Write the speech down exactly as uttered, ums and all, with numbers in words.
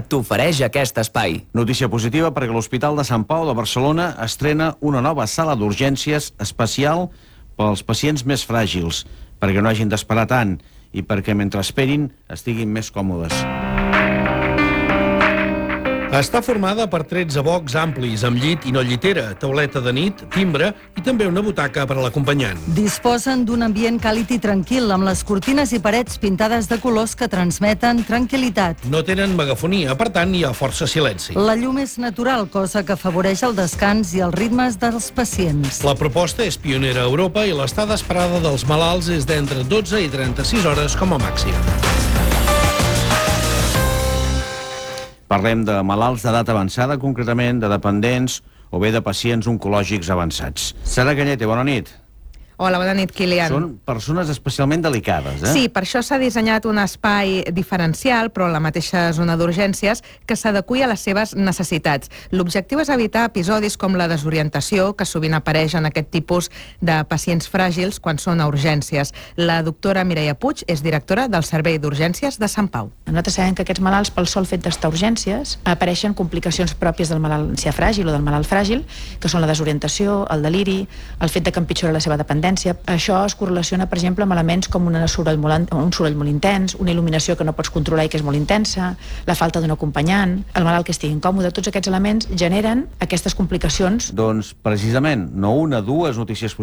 t'ofereix aquest espai. Notícia positiva perquè l'Hospital de Sant Pau de Barcelona estrena una nova sala d'urgències especial pels pacients més fràgils, perquè no hagin d'esperar tant i perquè mentre esperin estiguin més còmodes. Està formada per tretze bocs amplis, amb llit i no llitera, tauleta de nit, timbre i també una butaca per a l'acompanyant. Disposen d'un ambient càlid i tranquil, amb les cortines i parets pintades de colors que transmeten tranquil·litat. No tenen megafonia, per tant hi ha força silenci. La llum és natural, cosa que afavoreix el descans i els ritmes dels pacients. La proposta és pionera a Europa i l'estada esperada dels malalts és d'entre dotze i trenta-sis hores com a màxim. Parlem de malalts d'edat avançada, concretament de dependents o bé de pacients oncològics avançats. Sara Cañete, bona nit. Hola, bona nit, Kilian. Són persones especialment delicades, eh? Sí, per això s'ha dissenyat un espai diferencial, però en la mateixa zona d'urgències, que s'adequi a les seves necessitats. L'objectiu és evitar episodis com la desorientació, que sovint apareix en aquest tipus de pacients fràgils quan són a urgències. La doctora Mireia Puig és directora del Servei d'Urgències de Sant Pau. Nosaltres sabem que aquests malalts, pel sol fet d'estar a urgències, apareixen complicacions pròpies del malalt ancià fràgil o del malalt fràgil, que són la desorientació, el deliri, el fet de que empitjora la seva dependència. Això es correlaciona, per exemple, amb elements com una soroll molt, un soroll molt intens, una il·luminació que no pots controlar i que és molt intensa, la falta d'un acompanyant, el malalt que estigui incòmode. Tots aquests elements generen aquestes complicacions. Doncs, precisament, no una, dues notícies positives.